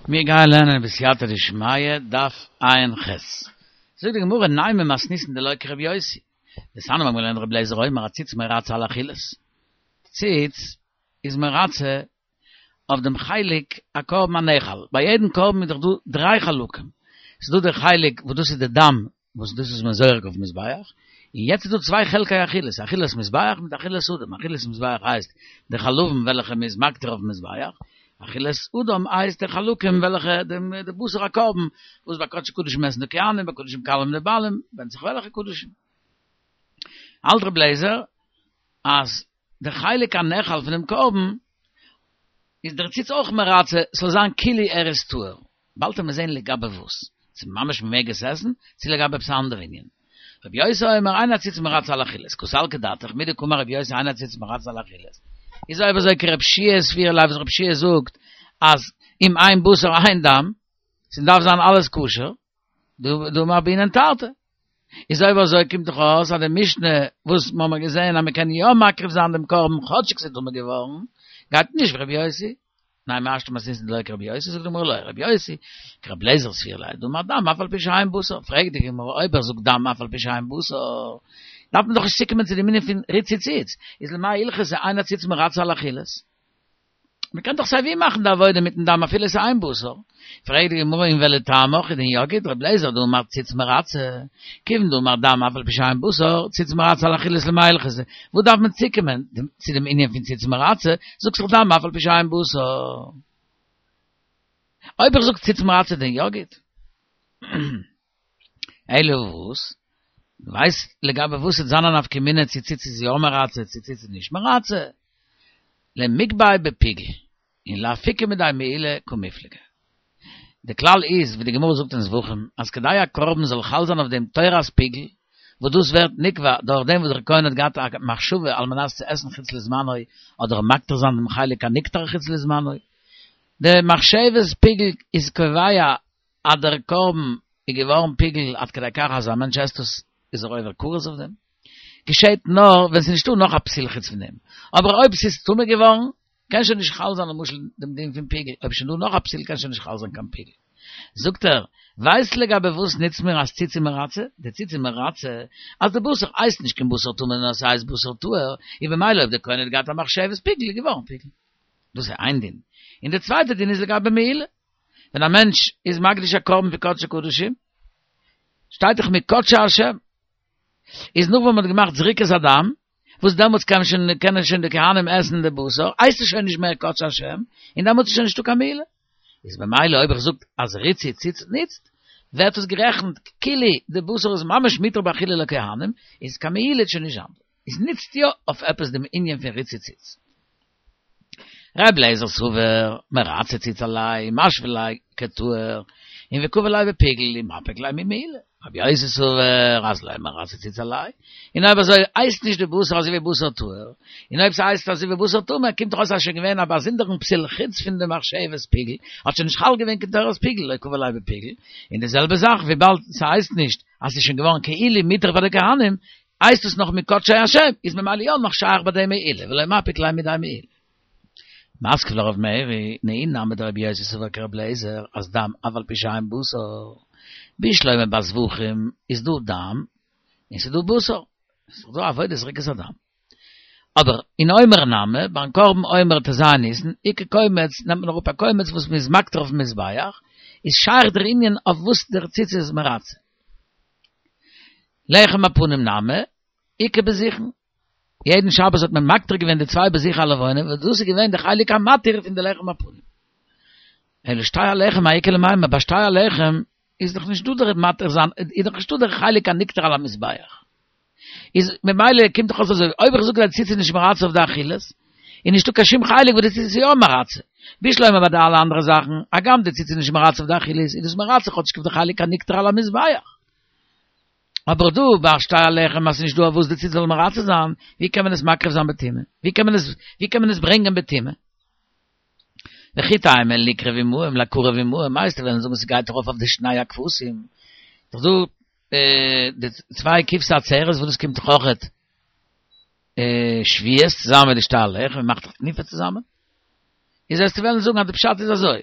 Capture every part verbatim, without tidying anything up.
מיר גייען לערנען בסייעתא דשמיא, דף ע"ח. זאגט די גמרא, נימא מתניתין דלא כרבי יוסי. דתניא מיר האבן געלערנט רבי אליעזר אומר הציץ מרצה על אכילת. ציץ איז מרצה אויף דעם חלק הקרבן הנאכל. ביי יעדן קרבן איז דאך דא דריי חלקים. ס'איז דא דער חלק וואס דאס איז די דם, וואס דאס איז מען זורק אויפן מזבח, און יעצט איז דא צוויי חלקי אכילת, אכילת מזבח מיט אכילת אדם, אכילת מזבח הייסט די חלבים וועלכע מען איז מקטיר אויפן מזבח, אכילת אדם הייסט די חלקים וועלכע די בשר הקרבן וואס ביי קדשי קדשים עסן די כהנים, ביי קדשים קלים די בעלים, ווענדט זיך וועלכע קדשים. האלט רבי אליעזר אז די חלק הנאכל פונעם קרבן איז דער ציץ אויך מרצה ס'זאל זיין כאילו ער איז טהור. באלד וועט מען זען לגבי וואס, צו ממש מ'מעג עס עסן, צו לגבי עפעס א אנדערע ענין. רבי יוסי אומר אין הציץ מרצה על אכילת, קא סלקא דעתך, מדקאמר רבי יוסי אין הציץ מרצה על אכילת. איז אויב אזוי כרבי יהושע סבירא ליה וואס רבי יהושע זאגט אז אם אין בשר אין דם, ס'דארף זיין אלעס כשר, דאמר בעינן תרתי. איז אויב אזוי קומט דאך אויס אז די משנה וואס מ'האמער געזען אז מ'קען יא מקריב זיין דעם קרבן כאטשיג ס'איז טמא געווארן, גייט נישט ווי רבי יוסי. נימא השתא מתניתין דלא כרבי יוסי, זאגט די גמרא לא, רבי יוסי, כרבי אליעזר סבירא ליה, דאמר דם אף על פי שאין בשר, פרעגט די גמרא אויב ער זאגט דם אף על פי שאין בשר, דארף מען דאך נישט צוקומען צו דעם ענין פון ריצוי ציץ, איז למאי הלכתא אין הציץ מרצה על אכילת? מען קען דאך סיי ווי מאכן די עבודה מיטן דם אפילו עס איז אין בשר. פרעגט די גמרא און ולטעמיך איז דען יא גוט רבי אליעזר דאמר ציץ מרצה, כיוון דאמר דם אף על פי שאין בשר, ציץ מרצה על אכילת למאי הלכתא, וואס דארף מען צוקומען צו דעם ענין פון ציץ מרצה, זאגסט דאך דם אף על פי שאין בשר. אויב איך זאג ציץ מרצה דען יא גוט. אלא וואס? ווייסט לגבי וואס וועט זיין א נפקא מינה צו ציץ איז יא מרצה צו ציץ איז נישט מרצה? למיגבי בפיגול און לאפוקי מידי מעילה קמיפלגי. די כלל איז, ווי די גמרא זאגט אין זבחים, אז כדי א קרבן זאל חל זיין אויף דעם תורת פיגול, וואס דאס ווערט נקבע דורך דעם וואס דער כהן האט געהאט א מחשבה על מנת צו עסן חוץ לזמנו אדער מקטיר זיין דעם חלק הנקטר חוץ לזמנו, די מחשבת פיגול איז קובע אז דער קרבן איז געווארן פיגול עד כדי כך אז א מענטש עסט עס איז ער עובר כרת אויף דעם. געשעט נאר ווען ס'איז נישטא נאך א פסול חוץ פון דעם. אבער אויב ס'איז טמא געווארן, קען שוין נישט חל זיין למשל דעם דין פון פיגול, אויב איז שוין דא נאך א פסול קען שוין נישט חל זיין קיין פיגול. זאגט ער, ווייסט לגבי וואס נוצט מיר אז ציץ איז מרצה? די ציץ איז מרצה אז די בשר הייסט נישט קיין בשר טמא נאר ס'הייסט בשר טהור, און במילא אויב דער כהן האט געהאט א מחשבת פיגול איז געווארן פיגול. דאס איז איין דין. און די צווייטע דין איז לגבי מעילה. ווען א מענטש איז מקדיש א קרבן פון קדשי קדשים, שטייט דאך מקדשי השם, איז נאך ווען מען האט געמאכט זריקת הדם, וואס דעמאלטס קען שוין קענען שוין די כהנים עסן די בשר, הייסט עס שוין נישט מער קדשי השם, און דעמאלטס איז שוין נישטא קיין מעילה. איז במילא אויב איך זאג אז ריצוי ציץ ניצט, ווערט עס גערעכנט כאילו די בשר איז ממש מותר באכילה לכהנים, איז קיין מעילה שוין נישט זיין. איז ניצט יא אויף עפעס דעם ענין פון ריצוי ציץ. ר' אליעזר סבר, מרצה ציץ עילויה, משוי ליה כטהור, און וקביל ליה בפיגול, ומפיק ליה ממעילה. רבי יוסי סבר, אז לא מרצה ציץ עילויה, און אויב אזוי הייסט נישט די בשר אזוי ווי בשר טהור, און אויב ס'הייסט אזוי ווי בשר טמא קומט דאך אויס אז שוין געווען א באזונדערן פסול חוץ פון די מחשבת פיגול, האט שוין נישט חל געווען קיין תורת פיגול, לא קביל ליה בפיגול, און די זעלבע זאך וויבאלד ס'הייסט נישט אז ס'איז שוין געווארן כאילו מותר פאר די כהנים, הייסט עס נאך מקדשי השם, איז ממילא יא נאך שייך ביי דעם מעילה, ולא מפיק ליה מידי מעילה. מתקיף לה רב מרי, נהי נמי דרבי יוסי סבר כרבי אליעזר, אז דם אף על פי שאין בשר, בשלמא ביי זבחים איז דא דם און ס'איז דא בשר, ס'איז דא עבודת זריקת הדם. אבער אין עומר נמי, ביים קרבן עומר ט"ז ניסן, איכא קומץ, נעמט מען אראפ א קומץ וואס מ'איז מקטיר אויפן מזבח, איז שייך דער ענין אויף וואס דער ציץ איז מרצה. לחם הפנים נמי, איכא בזיכין. יעדן שבת האט מען מקטיר געווען די צוויי בזיכי הלבנה, וואס דאס איז געווען די חלק המתיר פון די לחם הפנים. אלא שתי הלחם מאי איכא למימר, ביי שתי הלחם איז דאך נישט דא דער מתיר זיין, איז דאך נישטא דער חלק הנקטר על המזבח. איז ממילא קומט דאך אויס אזוי, אויב איך זאג אז די ציץ איז נישט מרצה אויף די אכילת, איז נישטא קיין שום חלק וואס די ציץ איז יא מרצה. בשלמא ביי די אלע אנדערע זאכן, הגם די ציץ איז נישט מרצה אויף די אכילת, איז דאס מרצה כאטשיג אויף די חלק הנקטר על המזבח. אבער דא ביי שתי הלחם אז ס'איז נישט דא אויף וואס די ציץ זאל מרצה זיין, ווי קען מען עס מקריב זיין בטומאה? ווי קען מען עס ווי קען מען עס ברענגען בטומאה? וכי תימא ליקרב עמהם לקרב עמהם, מיינסטו וועלן זאגן ס'גייט ארויף אויף די שני הכבשים, דאך דא די צוויי כבשי עצרת וואס דאס קומט דאך אויכעט שבועות צוזאמען מיט די שתי הלחם, מ'מאכט דאך תנופה צוזאמען, איז וועסטו וועלן זאגן אז די פשט איז אזוי,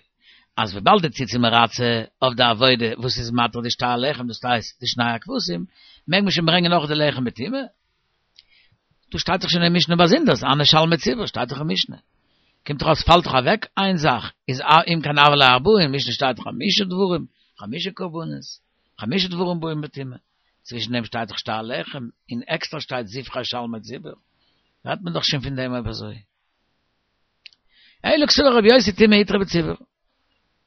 אז וויבאלד די ציץ איז מרצה אויף די עבודה וואס איז מתיר די שתי הלחם, דאס הייסט די שני הכבשים, מעג מען שוין ברענגען נאך די לחם בטומאה? דא שטייט דאך שוין אין משנה באזונדערס, הני שלמי ציבור שטייט דאך אין משנה. קומט דאך אויס פאלט דאך אוועק איין זאך, איז אם כן הוו ליה ארבעה, אין משנה שטייט דאך חמשה דברים, חמשה קרבנות, חמשה דברים באים בטומאה. צווישן דעם שטייט דאך שתי הלחם, און עקסטער שטייט זבחי שלמי ציבור. רעדט מען דאך שוין פון דעם אויב אזוי. אלא קסבר רבי יוסי טומאה איתרע בציבור.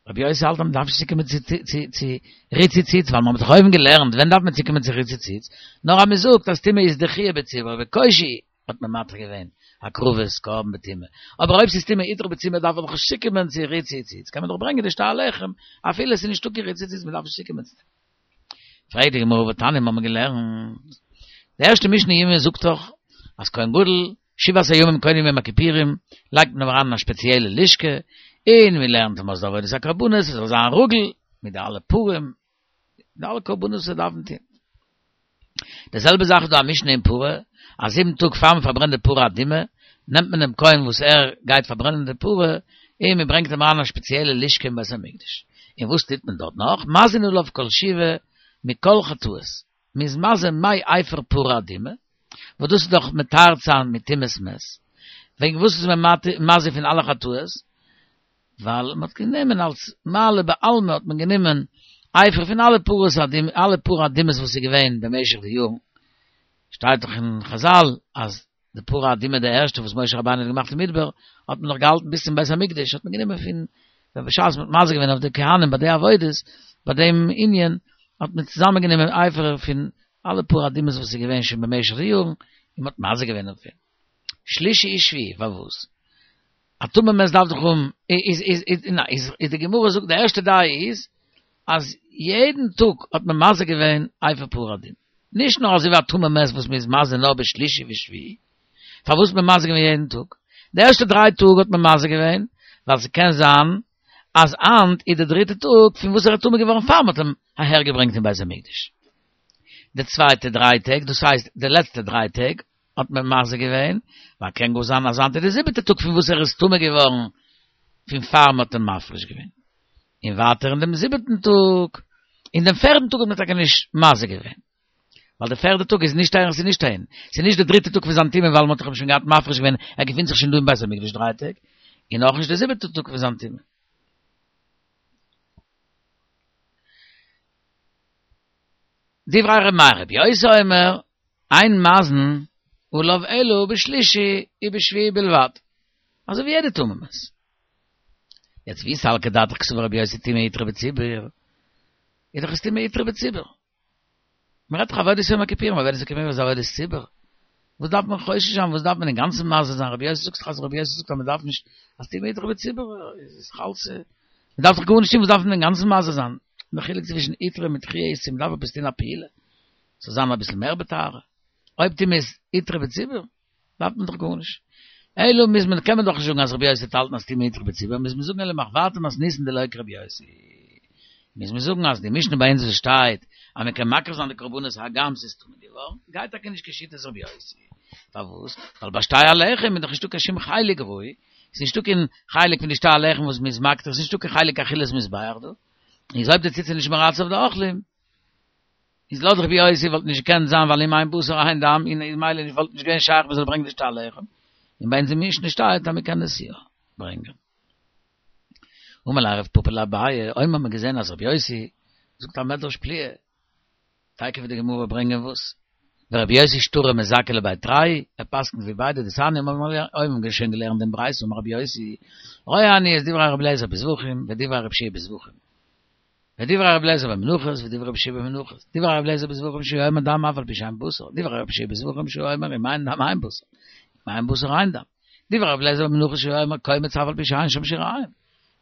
רבי יוסי האלט אז מען דארף נישט צוקומען צו צו צו ריצוי ציץ, ווייל מען האט דאך אויבן געלערנט ווען דארף מען צוקומען צו ריצוי ציץ, נאר אז מען זאגט אז טומאה איז דחויה בציבור בקושי האט מען מתיר געווען הקרבת קרבן בטומאה, אבער אויב ס'איז טומאה איתרע בציבור דארף מען דאך נישט צוקומען צו ריצוי ציץ, קען מען דאך ברענגען די שתי הלחם אפילו עס איז נישטא קיין ריצוי ציץ, מען דארף נישט צוקומען צו דעם. פרעגט די גמרא והתניא האבן מיר געלערנט, די ערשטע משנה אין יומא זאגט דאך אז כהן גדול שבעת הימים קודם יום הכיפורים לייגט מען אים אריין אין א שפעציעלע לשכה, און מען לערנט אים אויס די עבודת הקרבנות עס זאל זיין רגיל מיט די אלע פרים, די אלע קרבנות וואס זיי דארפן טון. די זעלבע זאך איז דא א משנה אין פרה, אז זיבן טאג פאר מען פארברענט די פרה אדומה, נעמט מען דעם כהן וואס ער גייט פארברענען די פרה, און מען ברענגט אים אריין אין א שפעציעלע לשכה אין בית המקדש. און וואס טוט מען דארט נאך? מזין עליו כל שבעה מכל חטאות. מען איז מזה מי אפר פרה אדומה, וואס דאס איז דאך מטהר זיין מטומאת מת. וועגן וואס איז מען מזה פון אלע חטאות? ווייל מען האט גענומען אלס מעלה בעלמא האט מען גענומען אפר פון אלע פרות אדומות, אלע פרה אדומות וואס איז געווען במשך די יארן, שטייט דאך אין חזל אז די פרה אדומה די ערשטע וואס משה רבינו האט געמאכט אין מדבר האט מען נאך געהאלטן ביז צום בית המקדש האט מען גענומען פון ווען בשעת מען האט מזה געווען אויף די כהנים ביי די עבודות ביי דעם ענין האט מען צוזאמען גענומען אפר פון אלע פרה אדומות וואס איז געווען שוין במשך די יארן און מען האט מזה געווען אויף אים. שלישי ושביעי פארוואס? א טמא מת דארף דאך האבן, איז איז איז איז איז די גמרא זאגט די ערשטע דעה איז אז יעדן טאג האט מען מזה געווען אפר פרה אדומה, נישט נאר אזוי ווי א טמא מת וואס מען איז מזה נאר בשלישי ושביעי, פארוואס האט מען מזה געווען יעדן טאג? די ערשטע דריי טאג האט מען מזה געווען ווייל ס'קען זיין אז היינט איז די דריטע טאג פון וואס ער איז טמא געווארן פאר מ'האט אים אהער געברענגט אין בית המקדש, די צווייטע דריי טעג דאס הייסט די לעצטע דריי טעג האט מען מזה געווען, ווייל קען גאר זיין אז היינט איז די זיבעטע טאג פון וואס ער איז טמא געווארן פון פאר מ'האט אים מפריש געווען. און ווייטער אין דעם זיבעטן טאג, אין דעם פערדן טאג האט מען טאקע נישט מזה געווען, ווייל די פערדע טאג איז נישט אהער ס'איז נישט אהין, ס'איז נישט די דריטע טאג פון זיין טומאה ווייל מ'האט דאך אים שוין געהאט מפריש געווען, ער געפינט זיך שוין דא אין בית המקדש דריי טעג, און אויך נישט די זיבעטע טאג פון זיין טומאה. דברי ר' מאיר רבי יוסי אומר, אין מזין עליו אלא בשלישי ובשביעי בלבד, אזוי ווי יעדע טמא מת. יעצט ואי סלקא דעתך קסבר רבי יוסי טומאה איתרע בציבור, איז דאך עס טומאה איתרע בציבור. מען רעדט דאך עבודת יום הכיפורים, עבודת יום הכיפורים איז עבודת ציבור. וואס דארף מען חושש זיין, וואס דארף מען אינגאנצן מזה זיין, רבי יוסי זאגט דאך אז רבי יוסי זאגט אז מען דארף נישט, אז טומאה איתרע בציבור איז דאך אלס, מען דארף דאך גארנישט טון, וואס דארף מען אינגאנצן מזה זיין? די חילוק צווישן איתרע מיט דחויה איז צו מען דארף עפעס טון א פעולה, ס'זאל זיין אביסל מער בטהרה. אויב טומאה איז איתרע בציבור, דארף מען דאך גארנישט. אלא מוז מען, קען מען דאך נישט זאגן אז רבי יוסי האט געהאלטן אז טומאה איתרע בציבור, מוז מען זאגן אלא מחוורתא מתניתין דלא כרבי יוסי. מוז מען זאגן אז די משנה ביי אונז וואס שטייט אז מען קען מקריב זיין די קרבנות הגם ס'איז טמא געווארן, גייט טאקע נישט כשיטת רבי יוסי. פארוואס? ווייל ביי שתי הלחם איז דאך נישטא קיין שום חלק ראוי, ס'איז נישטא קיין חלק פון די שתי הלחם וואס מ'איז מקטיר, ס'איז נישטא קיין חלק אכילת מזבח דא. איז אויב די ציץ איז נישט מרצה אויף די אוכלים, איז לויט רבי יוסי וואלט נישט געקענט זיין ווייל אם אין בשר אין דם און איז ממילא נישט וואלט נישט געווען שייך מען זאל ברענגען די שתי הלחם, און ביי אונז אין משנה שטייט אז מען קען עס יא ברענגען. אמר ליה רב פפא לאביי, אויב האט מען געזען אז רבי יוסי זאגט א מדרש פליאה, תיכף וועט די גמרא ברענגען וואס, ורבי יוסי שטרא מזכה לבי תרי, ער פסק'נט ווי ביידע דתניא אויב האבן מיר שוין געלערנט דעם ברייתא אמר רבי יוסי, רואה אני את דברי רבי אליעזר בזבחים ודברי רבי יהושע בזבחים. ודברי רבי אליעזר במנחות, ודברי רבי יהושע במנחות. דברי רבי אליעזר בזבחים שהוא אומר דם אף על פי שאין בשר. דברי רבי יהושע בזבחים שהוא אומר אם אין דם אין בשר. אם אין בשר אין דם. דברי רבי אליעזר במנחות שהוא אומר קומץ אף על פי שאין שם שיריים.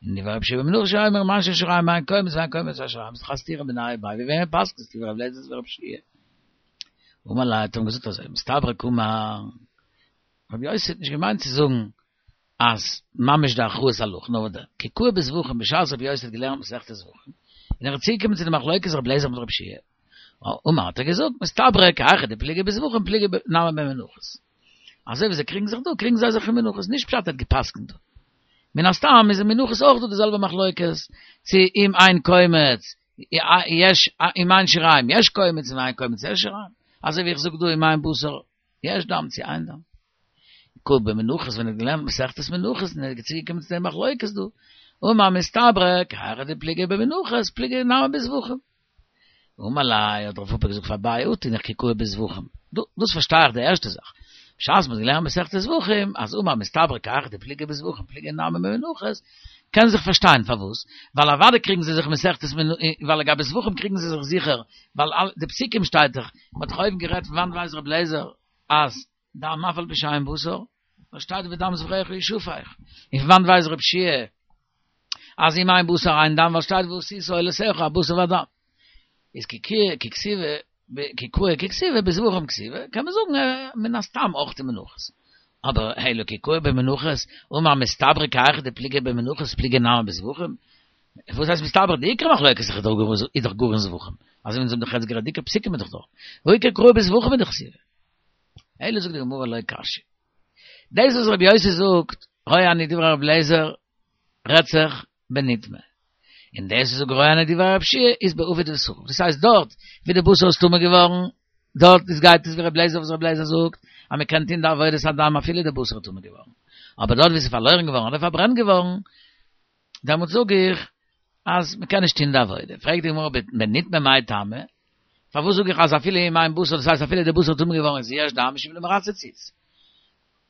און דברי רבי יהושע במנחות שהוא אומר אם אין שם שיריים אין קומץ ואין קומץ אין שיריים. ס'איז דאך א סתירה מיניה וביה ווי וועמען פסק'נסטו דברי רבי אליעזר דברי רבי יהושע. אמר ליה האט אים געזאגט אזוי מסתברא קאמר. רבי יוסי האט נישט געמיינט צו זאגן אז ממש די הכרעת הלכה, נאר וואס דען, כי קאי בזבחים בשעת רבי יוסי האט געלערנט מסכת זבחים, און ער איז צוגעקומען צו די מחלוקת רבי אליעזר מיט רבי יהושע, אמר האט ער געזאגט, מסתברא כי היכי דפליגי בזבחים פליגי נמי במנחות. אזוי ווי זיי קריגן זיך דא, קריגן זיי זיך אין מנחות, נישט פשט ער האט גע'פסק'נט דא. מן הסתם איז אין מנחות אויך דא די זעלבע מחלוקת, צו אם אין קומץ, יש, אם אין שיריים יש קומץ, אם אין קומץ יש שיריים. אזוי ווי איך זאג דא אם אין בשר יש דם צו אין דם. קוק במנחות ווען ער האט געלערנט מסכת מנחות און ער איז צוגעקומען צו די מחלוקת דא, אמר מסתברא כי היכי דפליגי במנחות פליגי נמי בזבחים. אמר ליה האט רב פפא געזאגט פאר אביי אטו תינח כי קאי בזבחים. דאס פארשטיי איך די ערשטע זאך. בשעת מ'האט געלערנט מסכת זבחים אז אמר מסתברא כי היכי דפליגי בזבחים פליגי נמי במנחות קען זיך פארשטיין פארוואס, ווייל אוודאי קריגן זיי זיך מסכת ווייל לגבי זבחים קריגן זיי זיך זיכער, ווייל די פסוקים שטייט דאך, מ'האט דאך אויבן גערעדט פון וואנט ווייסט רבי אליעזר אז דם אף על פי שאין בשר, ווייל שטייט ודם זבחיך ישפך, און פון וואנט ווייסט רבי יהושע אז אם אין בשר אין דם ווייל שטייט ועשית עולותיך הבשר והדם. איז כי כי כתיבא כי קאי כי כתיבא בזבחים כתיבא, קען מען זאגן מן הסתם אויך אין מנחות. אבער אלא כי קאי במנחות, אמר מסתברא כי היכי דפליגי במנחות פליגי נמי בזבחים, וואס הייסט מסתברא? די עיקר מחלוקת איז דאך גאר אין זבחים, אזוי ווי אונז האבן דאך יעצט גערעדט, די עיקר פסוקים איז דאך דארט, והא עיקר קראי בזבחים הוא דכתיב. אלא זאגט די גמרא לא קשיא. דאס וואס רבי יוסי זאגט, רואה אני דברי רבי אליעזר, רעדט זיך בנטמא. און דאס וואס זאגט רואה אני דברי רבי יהושע איז באבד ושרוף. דאס הייסט דארט ווי די בשר איז טמא געווארן, דארט איז גייט עס ווי רבי אליעזר וואס רבי אליעזר זאגט אז מען קען טון די עבודת הדם אפילו די בשר איז טמא געווארן. אבער דארט ווי עס איז פארלוירן געווארן אדער פארברענט געווארן, דעמאלט זאג איך אז מען קען נישט טון די עבודה. פרעגט די גמרא בנטמא מאי טעמא? פארוואס זאג איך אז אפילו אם אין בשר, דאס הייסט אפילו די בשר איז טמא געווארן איז יש דם משום דמרצה ציץ.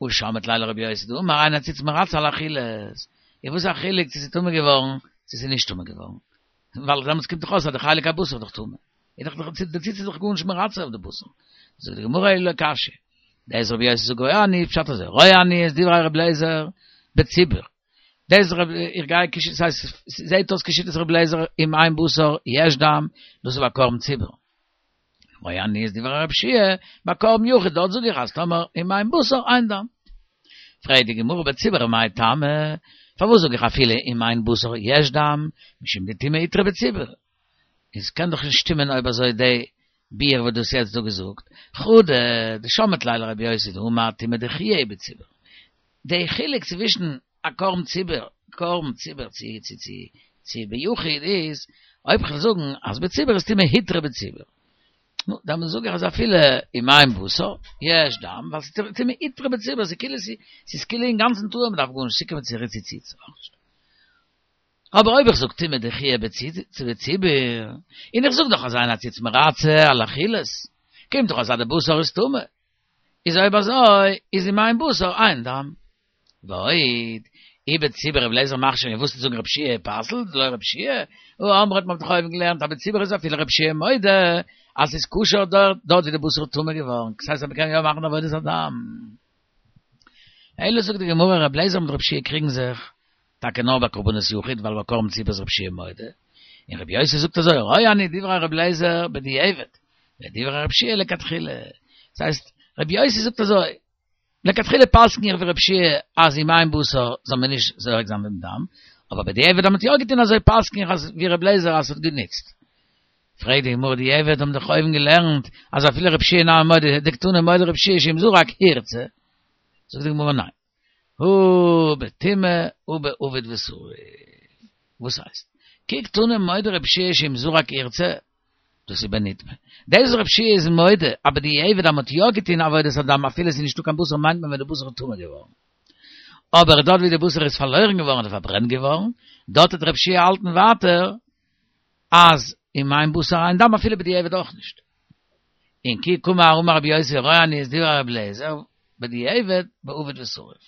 הא שמעת ליה לרבי יוסי דאמר אין הציץ מרצה על אכילות. איז וואס א חילוק צו ס'איז טמא געווארן צו ס'איז נישט טמא געווארן? ווייל דעמאלטס קומט דאך אויס אז די חלק הבשר איז דאך טמא. איז דאך די ציץ איז דאך גארנישט מרצה אויף די בשר. זאגט די גמרא אלא לא קשיא. דאס רבי יוסי זאגט רואה אני פשט אזוי רואה אני את דברי רבי אליעזר בציבור. דאס רב איך גיי כשיטת ס'הייסט זעהט אויס כשיטת רבי אליעזר אם אין בשר יש דם דאס איז ביי קרבן ציבור. רואה אני את דברי רבי יהושע ביי קרבן יחיד דארט זאג איך אז טאמער אם אין בשר אין דם. פרעגט די גמרא בציבור מאי טעמא פארוואס זאג איך אפילו אם אין בשר יש דם משום דטומאה הותרה בציבור. איז קען דאך נישט שטימען אויב אזוי די ביאור וואס דו האסט יעצט דא געזאגט, חדא דשמעת ליה לרבי יוסי דאמר טומאה דחויה היא בציבור. די חילוק צווישן א קרבן ציבור, קרבן ציבור צו צו צו צו ביחיד איז, אויב כ'וועל זאגן אז בציבור איז טומאה הותרה בציבור, נו, דעמאלס זאג איך אז אפילו אם אין בשר, יש דם, ווייל ס'איז טומאה הותרה בציבור, ס'איז כאילו ס'איז כאילו אינגאנצן טהור, מ'דארף גארנישט צוקומען צו ריצוי ציץ אויך נישט. אבער אויב איך זאג טומאה דחויה בציבור, און איך זאג דאך אז אין הציץ מרצה על אכילות, קומט דאך אויס אז די בשר איז טמא, איז אויב אזוי איז אם אין בשר אין דם. ועוד, אי בציבור רבי אליעזר מכשיר און וואס זאגן רבי יהושע פסל'ט דלא רבי יהושע, הא אמרת מ'האט דאך אויבן געלערנט אז בציבור איז אפילו רבי יהושע מודה אז ס'איז כשר דארט דארט ווי די בשר איז טמא געווארן, ס'הייסט אז מ'קען יא מאכן עבודת הדם. אלא זאגט די גמרא רבי אליעזר מיט רבי יהושע קריגן זיך טאקע נאר ביי קרבנות יחיד ווייל ביי קרבן ציבור איז רבי יהושע מודה, און רבי יוסי זאגט אזוי רואה אני דברי רבי אליעזר בדיעבד ודברי רבי יהושע לכתחילה, ס'הייסט רבי יוסי זאגט אזוי לכתחילה פסק'ן איך ווי רבי יהושע אז אם אין בשר זאל מען נישט זורק זיין דעם דם, אבער בדיעבד אז מ'האט יא געטון אזוי פסק'ן איך אז ווי רבי אליעזר אז ס'האט גענוצט. פרעגט די גמרא דיעבד האבן דאך אויבן געלערנט אז אפילו רבי יהושע נמי מודה דקתני מודה רבי יהושע שאם זרק הורצה, זאגט די גמרא ניין, הא בטומאה הא באבד ושרוף, וואס הייסט? כי קתני מודה רבי יהושע שאם זרק הורצה, דאס איז בנטמא. דאס וואס רבי יהושע איז מודה, אז בדיעבד אז מ'האט יא געטון עבודת הדם אפילו עס איז נישטא קיין בשר מיינט מען ווען די בשר איז טמא געווארן. אבער דארט ווי די בשר איז פארלוירן געווארן אדער פארברענט געווארן, דארט וועט רבי יהושע האלטן ווייטער אז אם אין בשר אין דם אפילו בדיעבד אויך נישט. און כי קאמר אמר רבי יוסי רואה אני את דברי רבי אליעזר בדיעבד באבד ושרוף.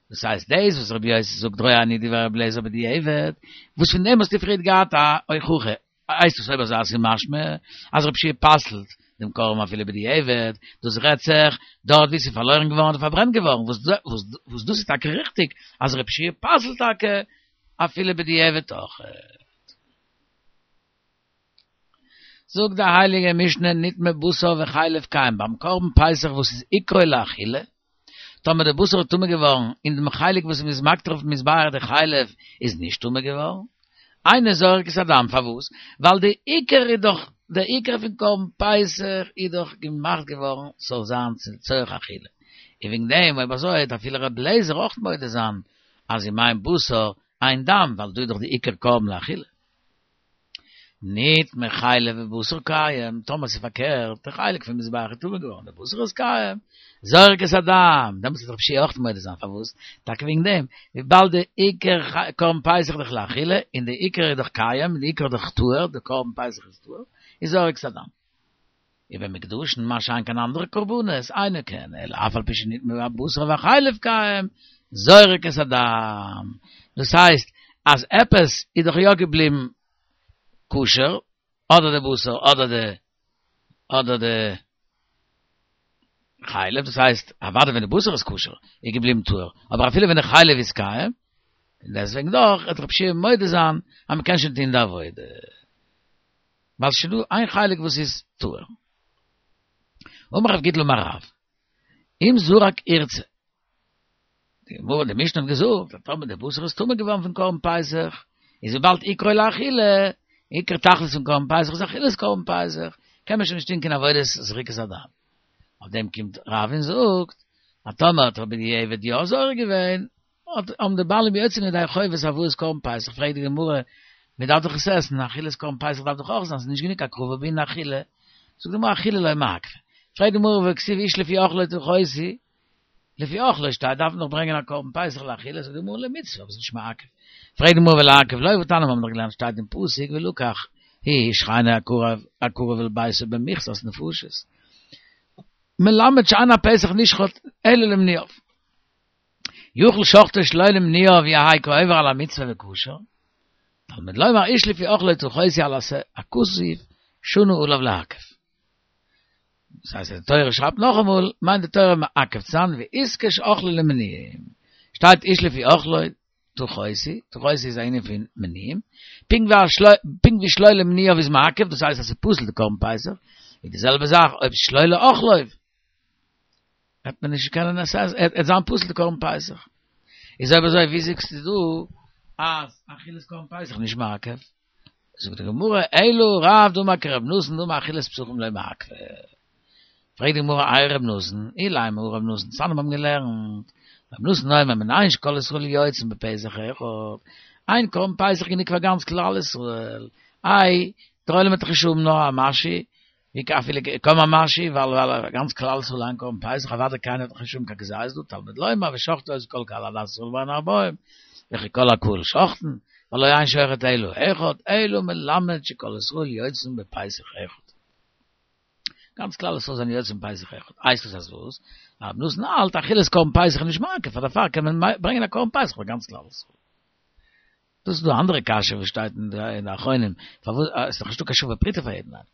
דאס הייסט דאס וואס רבי יוסי זאגט רואה אני דברי רבי אליעזר בדיעבד, וואס פון דעם האסטו פריערט געהאט א הוכחה, הייסט עס אויב אזוי אז ס'איז משמע אז רבי יהושע פסל'ט דעם קרבן אפילו בדיעבד, דאס רעדט זיך דארט ווי ס'איז פארלוירן געווארן אדער פארברענט געווארן, וואס דאס איז טאקע ריכטיג אז רבי יהושע פסל'ט טאקע אפילו בדיעבד אויך. זאגט די הייליגע משנה נטמא בשר וחלב קיים ביים קרבן פסח וואס איז עיקרו לאכילה, טאמער די בשר איז טמא געווארן און דעם חלק וואס מ'איז מקטיר אויפן מזבח די חלב איז נישט טמא געווארן, אינו זורק את הדם, פארוואס? ווייל די עיקר איז דאך, די עיקר פון קרבן פסח איז דאך געמאכט געווארן ס'זאל זיין צורך אכילה, און וועגן דעם אויב אזוי וועט אפילו ר' אליעזר אויך מודה זיין אז אם אין בשר, אין דם, ווייל דא איז דאך די עיקר קרבן לאכילה. נטמא חלב ובשר קיים, טאמער ס'איז פארקערט, דער חלק פון מזבח איז טמא געווארן, דער בשר איז קיים, זורק את הדם, דעמאלטס וועט רבי יהושע אויך מודה זיין, פארוואס? טאקע וועגן דעם, וויבאלד די עיקר קרבן פסח איז דאך לאכילה, און די עיקר איז דאך קיים, און די עיקר איז דאך טהור, די קרבן פסח איז טהור, איז זורק את הדם. ובמוקדשין מה שאין כן אנדערע קרבנות, אינו כן, אלא אף על פי שנטמא הבשר והחלב קיים, זורק את הדם. דאס הייסט, אז עפעס איז דאך יא געבליבן כשר, אדער די בשר אדער די אדער די חלב, דאס הייסט, אוודאי ווען די בשר איז כשר, איז געבליבן טהור, אבער אפילו ווען די חלב איז קיים, און דעסוועגן דאך וועט רבי יהושע מודה זיין אז מען קען שוין טון די עבודה. ווייל ס'איז שוין דא איין חלק וואס איז טהור. אמר רב גידל אמר רב, אם זרק ירצה, די גמרא די משנה האט געזאגט אז טאמער די בשר איז טמא געווארן פון קרבן פסח, איז וויבאלד עיקרו לאכילה, עיקר תכלית פון קרבן פסח איז אכילת קרבן פסח, קען מען שוין נישט טון קיין עבודת זריקת הדם. אויף דעם קומט רב און זאגט, אז טאמער האט ער בדיעבד יא זורק געווען, האט האבן די בעלים יוצא געווען ידי חובת הבאת קרבן פסח, פרעגט די גמרא, מען דארף דאך עס עסן, אכילת קרבן פסח דארף דאך אויך זיין, ס'איז נישט גענוג הקרבה בעינן אכילה, זאגט די גמרא אכילה לא מעכבא, פרעגט די גמרא והכתיב איש לפי אכלו תכוסו, לפי אכלו שטייט דארף מען דאך ברענגען א קרבן פסח לאכילה, זאגט די גמרא למצוה, אבער ס'איז נישט מעכב, פרעגט די גמרא ולעכב לא, והתניא מיר האבן דאך געלערנט שטייט אין פסוק ולקח הוא ושכנו הקרוב אל ביתו במכסת נפשות, מלמד שאין הפסח נשחט אלא למנויו. יכול שחטו שלא למנויו יהא כעובר על המצוה וכשר, תלמוד לומר איש לפי אכלו תכוסו על עשה הכתוב שנה עליו לעכב. דאס הייסט אז די תורה שרייבט נאכאמאל, מיינט די תורה מעכב צו זיין ואיתקש אכלו למנויים. שטייט איש לפי אכלו תכוסו, תכוסו איז א ענין פון מנויים, פונקט ווי שלא למנויו איז מעכב, דאס הייסט אז ס'איז פסול די קרבן פסח, איז די זעלבע זאך אויב שלא לאכלו. וועט מען נישט קענען עס עסן, עט זיין פסול די קרבן פסח. איז אויב אזוי ווי זאגסטו דא אז אכילת קרבן פסח נישט מעכב? זאגט די גמרא, אלא רב דאמר כרבי נתן דאמר אכילת פסחים לא מעכבא. פרעגט די גמרא איי רבי נתן, אילימא הא רבי נתן, דתניא מיר האבן געלערנט, רבי נתן אומר מנין שכל ישראל יוצאים בפסח אחד, איין קרבן פסח גענוג פאר גאנץ כלל ישראל, איי דער עולם וועט דאך נישט האבן נאר א משהו, ווי אפילו קוים א משהו, ווייל ווייל גאנץ כלל ישראל איין קרבן פסח, אוודאי קיינער וועט דאך נישט האבן קיין כזית דא, תלמוד לומר ושחטו אותו כל קהל עדת ישראל בין הערבים, וכי כל הקהל שוחטין, והלא אין שוחט אלא אחד, אלא מלמד שכל ישראל יוצאים בפסח אחד. גאנץ כלל ישראל זענען יוצאים בפסח אחד. הייסט עס אז וואס? רב נתן האלט אכילת קרבן פסח איז נישט מעכב, פאר דערפאר קען מען ברענגען א קרבן פסח פאר גאנץ כלל ישראל. דאס איז דא אנדערע קשיא וואס שטייט אין די אחרונים, פארוואס איז דאך נישטא קיין שווה פרוטה פאר יעדן איינעם.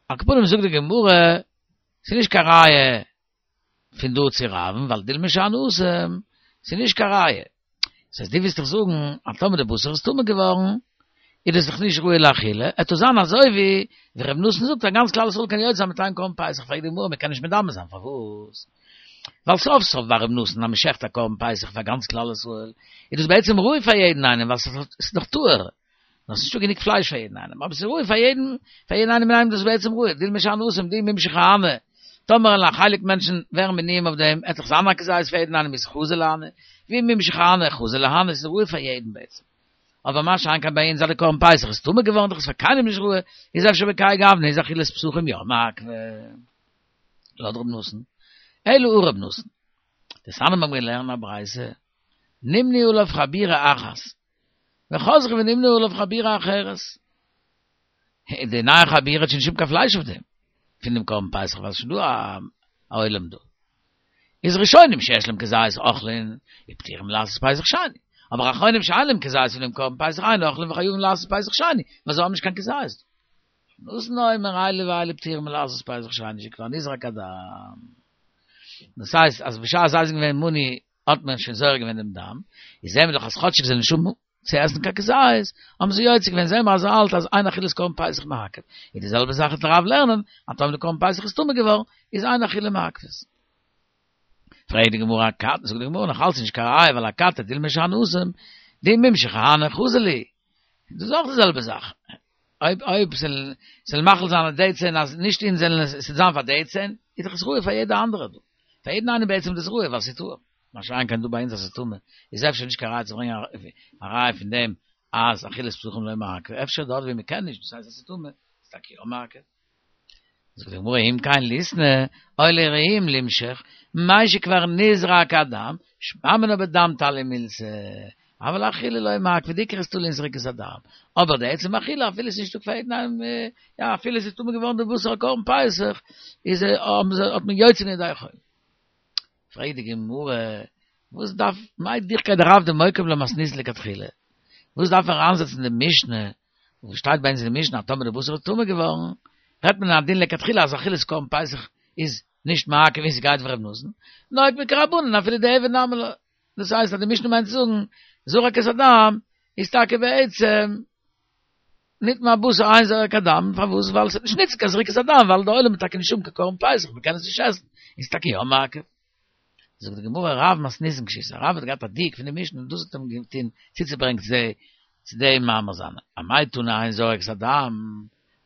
על כל פנים זאגט די גמרא, ס'איז נישט קיין ראיה פון דא צו רב'ן, ווייל דילמא שאני התם, ס'איז נישט קיין ראיה. דאס הייסט דו ווילסט דאך זאגן אז טאמער די בשר איז טמא געווארן, איז דאס דאך נישט ראוי לאכילה, עט עס זיין אזוי ווי ווי ר' נתן זאגט אז גאנץ כלל ישראל קען יוצא זיין מיט איין קרבן פסח, פרעגט די גמרא, מ'קען נישט מדמה זיין, פארוואס? ווייל סוף סוף ביי ר' נתן אז מען שעכט א קרבן פסח פאר גאנץ כלל ישראל, איז דאס בעצם ראוי פאר יעדן איינעם ווייל ס'איז דאך טהור, נאר ס'איז נישטא גענוג פלייש פאר יעדן איינעם, אבער ס'איז ראוי פאר יעדן, פאר יעדן איינעם אינאיינעם איז דאס בעצם ראוי, דילמא שאני התם דאי מימשך אהני, טאמער וועלן א חלק מענטשן ווערן מנויים אויף דעם, עט דאך זיין א כזית פאר יעדן איינעם איז חזי להני, ואי מימשך אהני חזי להני, ס'איז ראוי פאר יעדן בעצם. אבער מה שאין כן ביי אונז אז די קרבן פסח איז טמא געווארן דאך איז פאר קיינעם נישט ראוי, איז אפשר בכהאי גוונא איז אכילת פסחים יא מעכבא. לויט ר' נתן, אלא הא ר' נתן. דתניא מיר האבן געלערנט א ברייתא, נמנו עליו חבורה אחת, וחזרו ונמנו עליו חבורה אחרת. די נייע חבורה האט שוין נישט קיין פלייש אויף דעם, פון דעם קרבן פסח, ווייל ס'איז שוין דא א עולם דא. איז ראשונים שיש להם כזית אוכלין, ופטורים מלעשות פסח שני. אבער אחרונים שאין להם כזית פון דעם קרבן פסח אין אוכלין וחייבים לעשות פסח שני, ווייל זיי האבן נישט קיין כזית. ר' נתן אומר אלו ואלו פטורים מלעשות פסח שני שכבר נזרק הדם. דאס הייסט אז בשעת זיי זענען געווען מנוי האט מען שוין זורק געווען דעם דם, איז זעהן מיר דאך אז כאטשיג זיי זענען נישט האבן צו עסן קיין כזית, האבן זיי יוצא געווען, זעהן מיר אז ער האלט אז אין אכילת קרבן פסח מעכב. איז די זעלבע זאך וועט רב לערנען, אז טאמער די קרבן פסח איז טמא געווארן, איז אין אכילה מעכבת. פרעגט די גמרא אכתי, זאגט די גמרא נאך אלץ נישט קיין ראיה ווייל אכתי דילמא שאני התם, דאי מימשך אהני חזי להו. דאס איז אויך די זעלבע זאך. אויב אויב ס'זאל ס'זאל מחליט זיין אז די צען אז נישט אונז זענען עס ס'זאל זיין פאר די צען, איז דאך עס ראוי פאר יעדע אנדערע דא. פאר יעדן איינעם בעצם איז דאס ראוי ווייל ס'איז טהור. מה שאין כן דא ביי אונז אז ס'איז טמא, איז אפשר נישט קיין ראיה צו ברענגען א ראיה פון דעם אז אכילת פסחים לא מעכב, אפשר דארט ווי מ'קען נישט, דאס הייסט אז ס'איז טמא, איז טאקע יא מעכב. זאגט די גמרא אם כן ליתני, או לרעים למשוך, משכבר נזרק הדם, שמע מינה בדם תליא מילתא, אבל אכילה לא מעכבא, די עיקר איז תלוי אין זריקת הדם, אבער די עצם אכילה אפילו ס'איז נישטא קיין יא אפילו ס'איז טמא געווארן די בשר קרבן פסח, איז האט מען יוצא געווען ידי חובה. פרעגט די גמרא, וואס דארף, מאי דוחקיה דרב דמוקים לה מתניתין לכתחילה, וואס דארף ער אריינזעצן די משנה, וואס שטייט ביי אונז אין די משנה אז טאמער די בשר איז טמא געווארן, רעדט מען א דין לכתחילה אז אכילת קרבן פסח איז נישט מעכב און ס'גייט ווי ר' נתן, נוהג כרבנן אפילו דיעבד נמי לא, דאס הייסט אז די משנה מיינט צו זאגן זרק את הדם איז טאקע בעצם נטמא הבשר אין זורק הדם, פארוואס? ווייל ס'וועט נישט ניצן קיין זריקת הדם ווייל די עולם וועט טאקע נישט האבן קיין קרבן פסח מ'קען עס נישט עסן, איז טאקע יא מעכב. זאגט די גמרא רב מתניתין קשיתיה, רב האט געהאט א דיוק פון די משנה און דאס האט אים געטון צוצוברענגן צו צו דעם מאמר זיינע, אמאי תנא אין זורק את הדם,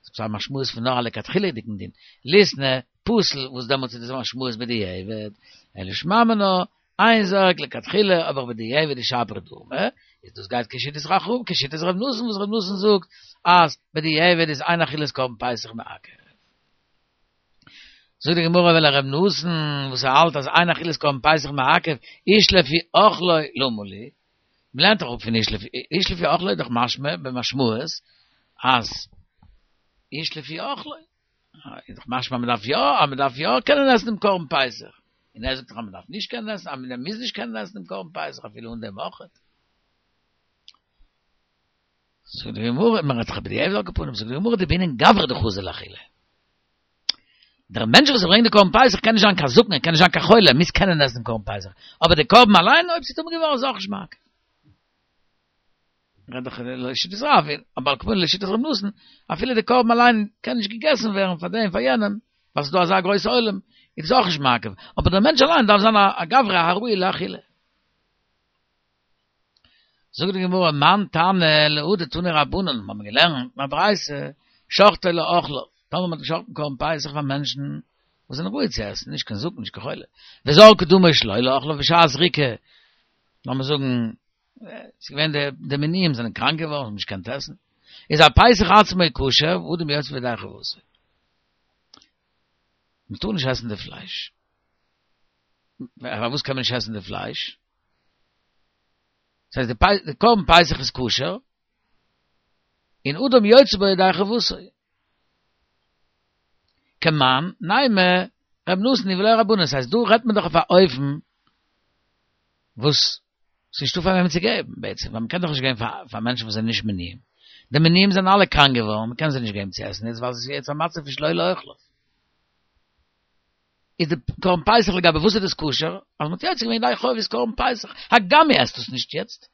ס'איז א משמעות פון נאר א לכתחילה'דיגן דין, ליתני פסול וואס דעמאלטס איז דאס משמעות בדיעבד, אלא שמע מינה, אין זורק לכתחילה אבער בדיעבד איז שפיר דמי, איז דאס גייט כשיטת רחום, כשיטת ר' נתן וואס ר' נתן זאגט אז בדיעבד איז אין אכילת קרבן פסח מעכב. זאגט די גמרא ולר' נתן וואס ער האלט אז אין אכילת קרבן פסח מעכב איש לפי אכלו למה לי, מ'לערנט דאך אפ פון איש לפי איש לפי אכלו איז דאך משמע במשמעות אז איש לפי אכלו איז דאך משמע אז מ'דארף יא אז מ'דארף יא קענען עסן דעם קרבן פסח, און ער זאגט דאך אז מ'דארף נישט קענען עסן אז מ'מוז נישט קענען עסן דעם קרבן פסח אפילו אן דעם אויכעט. זאגט די גמרא, מען רעדט דאך בדיעבד על כל פנים, זאגט די גמרא דבעינן גברא דחזי לאכילה. דער מענטש וואס ברענגט די קרבן פסח קען נישט זיין קיין זקן, ער קען נישט זיין קיין חולה, ער מוז קענען עסן דעם קרבן פסח, אבער די קרבן אליין אויב ס'איז טמא געווארן איז אויך נישט מעכב. רעד איך לשיטת רב, אבער על כל פנים לשיטת ר' נתן, אפילו די קרבן אליין קען נישט געגעסן ווערן פאר דעם פאר יענעם, ווייל ס'איז דא אזא גרויסע עולם, איז עס אויך נישט מעכב, אבער דער מענטש אליין דארף זיין א גברא הראוי לאכילה. זאגט די גמרא, מאן תנא להא דתנו רבנן, מיר האבן געלערנט אין א ברייתא, שחטו לאוכליו, טאמער מען האט געשחט'ן קרבן פסח פאר מענטשן וואס זענען ראוי צו עסן, נישט קיין זקן נישט קיין חולה, וזרקו דמו שלא לאוכליו בשעת זריקה, לאמיר זאגן, ס'איז געווען די מנויים זענען קראנק געווארן, האבן נישט געקענט עסן, איז הפסח עצמו כשר, ואדם יוצא בו ידי חובתו. מען טאר נישט עסן די פלייש. פארוואס קען מען נישט עסן די פלייש? דאס הייסט די קרבן פסח איז כשר, און אדם יוצא בו ידי חובתו. כמאן נימא ר' נתן היא ולא רבנן, דאס הייסט דא רעדט מען דאך אויף א אופן וואס ס'איז נישטא פאר וועמען צו געבן בעצם, ווייל מ'קען דאך נישט געבן פאר מענטשן וואס זענען נישט מנויים. די מנויים זענען אלע קראנק געווארן, מ'קען זיי נישט געבן צו עסן יעצט ווייל ס'איז יעצט א מצב פון שלא לאוכליו. איז די קרבן פסח לגבי וואס איז דאס כשר? אז מ'האט יוצא געווען ידי חובת קרבן פסח, הגם מ'עסט עס נישט יעצט.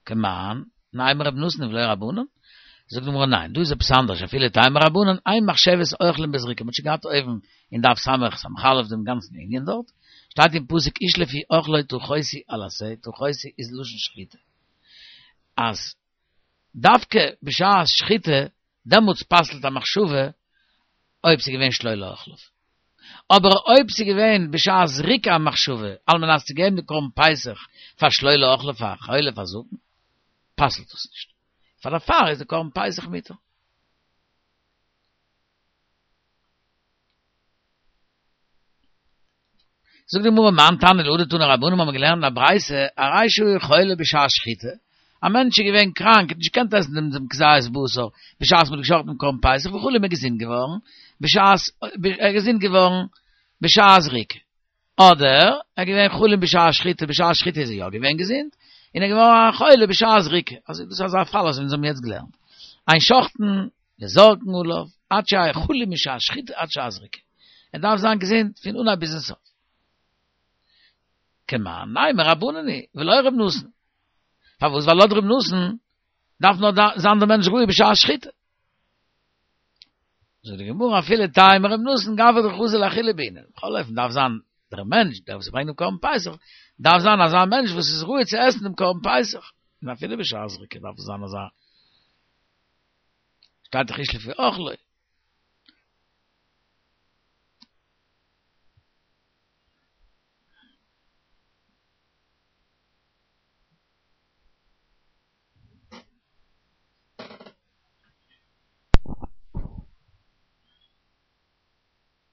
כמאן נימא ר' נתן היא ולא רבנן? זאגט די גמרא ניין, דא איז עפעס אנדערש, אפילו תימא רבנן, אין מחשבת אוכלים בזריקה, מ'האט שוין געהאט אויבן אין דף סמך סמך אלף דעם גאנצן ענין דארט, שטייט אין פסוק איש לפי אכלו תכוסו על השה, תכוסו איז לשון שחיטה, אז דווקא בשעת שחיטה דעמאלטס פסל'ט א מחשבה אויב ס'איז געווען שלא לאוכליו. אבער אויב ס'איז געווען בשעת זריקה א מחשבה על מנת צו געבן די קרבן פסח פאר שלא לאוכליו פאר חולה פאר זקן, פסל'ט דאס נישט. פאר דערפאר איז די קרבן פסח מותר. זאגט די גמרא מאן תנא להא דתנו רבנן האבן געלערנט אין א ברייתא הרי שהיה חולה בשעת שחיטה, א מענטש איז געווען קראנק האט נישט געקענט עסן דעם דעם כזית בשר בשעת מ'האט געשחט'ן דעם קרבן פסח וחלה איז געזונט געווארן בשעת ער איז געזונט געווארן בשעת זריקה, אדער ער איז געווען חלים בשעת שחיטה בשעת שחיטה איז ער יא געווען געזונט און ער איז געווארן א חולה בשעת זריקה, אזוי דאס איז אזא פאל אזוי ווי אונז האבן יעצט געלערנט, אין שוחטין וזורקין עליו עד שיהא חלי משעת שחיטה עד שעת זריקה, ער דארף זיין געזונט פון אנהייב ביזן סוף. כמאן נימא רבנן היא ולא ר' נתן. פארוואס? ווייל לויט ר' נתן דארף נאר זיין דער מענטש ראוי בשעת שחיטה. זאגט די גמרא אפילו תימא ר' נתן גברא דחזי לאכילה בעינן. בכל אופן דארף זיין דער מענטש דער וואס ברענגט דעם קרבן פסח דארף זיין אזא מענטש וואס איז ראוי צו עסן דעם קרבן פסח. און אפילו בשעת זריקה דארף עס זיין אזא שטייט דאך איש לפי אכלו.